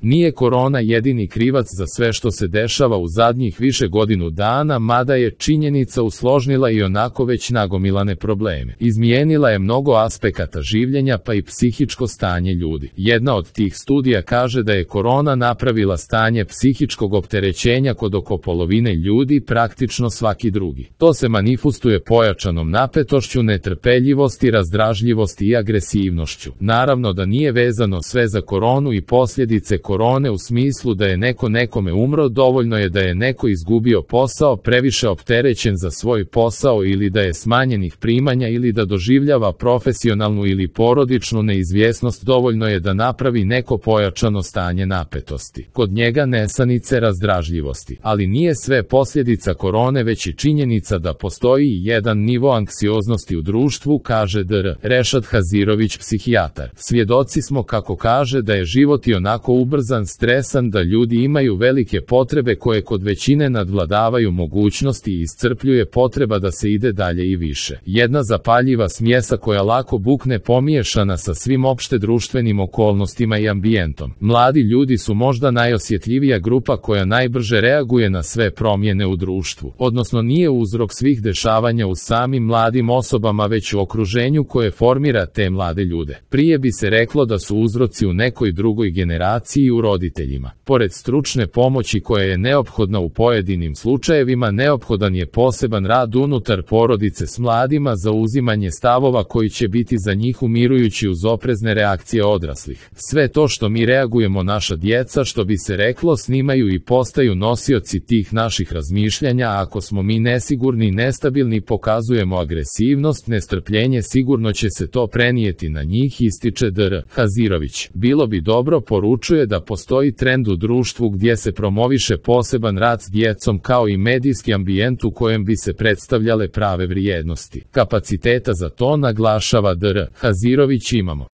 Nije korona jedini krivac za sve što se dešava u zadnjih više godinu dana, mada je činjenica usložnila i onako već nagomilane probleme. Izmijenila je mnogo aspekata življenja pa i psihičko stanje ljudi. Jedna od tih studija kaže da je korona napravila stanje psihičkog opterećenja kod oko polovine ljudi, praktično svaki drugi. To se manifestuje pojačanom napetošću, netrpeljivosti, razdražljivosti i agresivnošću. Naravno da nije vezano sve za koronu i posljedice korone u smislu da je neko nekome umro, dovoljno je da je neko izgubio posao, previše opterećen za svoj posao ili da je smanjenih primanja ili da doživljava profesionalnu ili porodičnu neizvjesnost, dovoljno je da napravi neko pojačano stanje napetosti. Kod njega nesanice, razdražljivosti. Ali nije sve posljedica korone, već i činjenica da postoji jedan nivo anksioznosti u društvu, kaže dr. Rešad Hazirović, psihijatar. Svjedoci smo, kako kaže, da je život i onako ubrzan, stresan, da ljudi imaju velike potrebe koje kod većine nadvladavaju mogućnosti i iscrpljuje potreba da se ide dalje i više. Jedna zapaljiva smjesa koja lako bukne pomiješana sa svim opšte društvenim okolnostima i ambijentom. Mladi ljudi su možda najosjetljivija grupa koja najbrže reaguje na sve promjene u društvu, odnosno nije uzrok svih dešavanja u samim mladim osobama, već u okruženju koje formira te mlade ljude. Prije bi se reklo da su uzroci u nekoj drugoj generaciji i u roditeljima. Pored stručne pomoći koja je neophodna u pojedinim slučajevima, neophodan je poseban rad unutar porodice s mladima za uzimanje stavova koji će biti za njih umirujući uz oprezne reakcije odraslih. Sve to što mi reagujemo, naša djeca, što bi se reklo, snimaju i postaju nosioci tih naših razmišljanja. Ako smo mi nesigurni, nestabilni, pokazujemo agresivnost, nestrpljenje, sigurno će se to prenijeti na njih, ističe dr. Hazirović. Bilo bi dobro, poručuje, da postoji trend u društvu gdje se promoviše poseban rad s djecom kao i medijski ambijent u kojem bi se predstavljale prave vrijednosti. Kapaciteta za to, naglašava dr. Hazirović, imamo.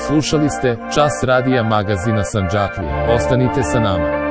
Slušali ste Čas radija magazina Sandžaklije. Ostanite sa nama.